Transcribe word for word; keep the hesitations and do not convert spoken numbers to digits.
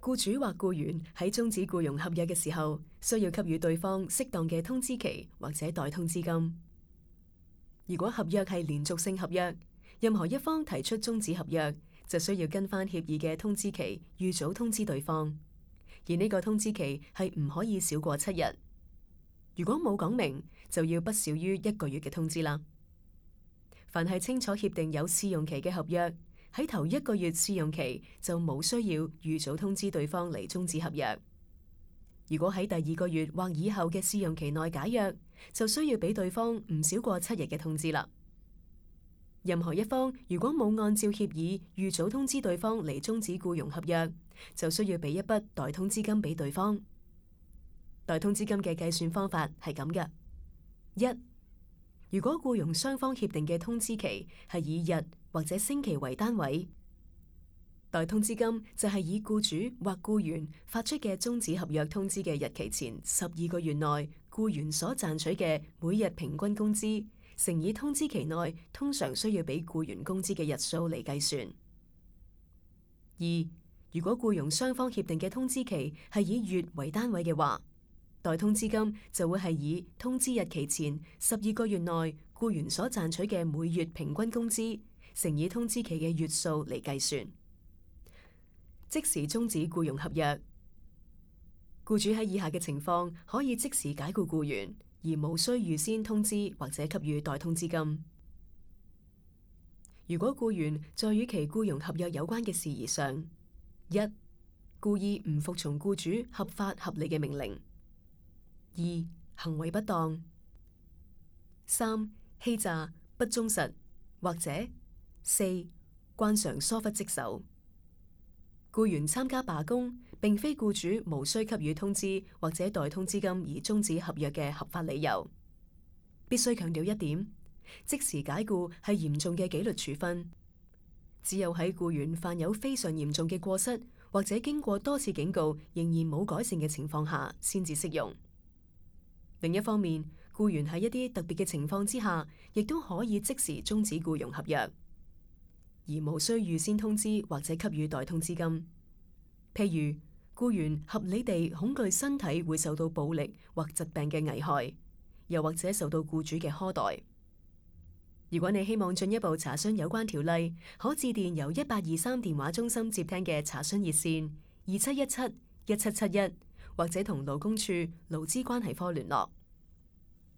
僱主或僱員喺終止僱傭合約嘅時候，需要給予對方適當嘅通知期或者代通知金。如果合約係連續性合約，任何一方提出終止合約，就需要跟翻協議嘅通知期，預早通知對方。而呢個通知期係唔可以少過七日。如果冇講明，就要不少於一個月嘅通知啦。凡係清楚協定有試用期嘅合約，喺頭一個月試用期就冇需要預早通知對方嚟終止合約。如果喺第二個月或以後嘅試用期內解約，就需要俾對方唔少過七日嘅通知啦。任何一方如果冇按照協議預早通知對方嚟終止僱傭合約，就需要俾一筆代通知金俾對方。代通知金嘅計算方法係咁嘅：一、如果僱傭雙方協定嘅通知期係以日或者星期為單位，代通知金就係以僱主或僱員發出嘅終止合約通知嘅日期前十二個月內僱員所賺取嘅每日平均工資，乘以通知期內通常需要俾僱員工資嘅日數嚟計算。二、如果僱傭雙方協定嘅通知期係以月為單位嘅話，代通知金就會係以通知日期前十二個月內僱員所賺取嘅每月平均工資，乘以通知期嘅月數嚟計算。即時終止僱傭合約，僱主喺以下嘅情況可以即時解僱僱員，而無需預先通知或者給予代通知金。如果僱員在與其僱傭合約有關嘅事宜上，一、故意唔服從僱主合法合理嘅命令；二、行為不當；三、欺詐、不忠實，或者四、慣常疏忽職守。僱員參加罷工，並非僱主無需給予通知或者代通知金而終止合約嘅合法理由。必須強調一點，即時解僱係嚴重嘅紀律處分，只有喺僱員犯有非常嚴重嘅過失，或者經過多次警告仍然冇改善嘅情況下，先至適用。另一方面，僱員喺一啲特別嘅情況之下，亦都可以即時終止僱傭合約，而無需預先通知或者給予代通知金。譬如，僱員合理地恐懼身體會受到暴力或疾病嘅危害，又或者受到僱主嘅苛待。如果你希望進一步查詢有關條例，可致電由一八二三電話中心接聽嘅查詢熱線二七一七一七七一，或者同勞工處勞資關係科聯絡。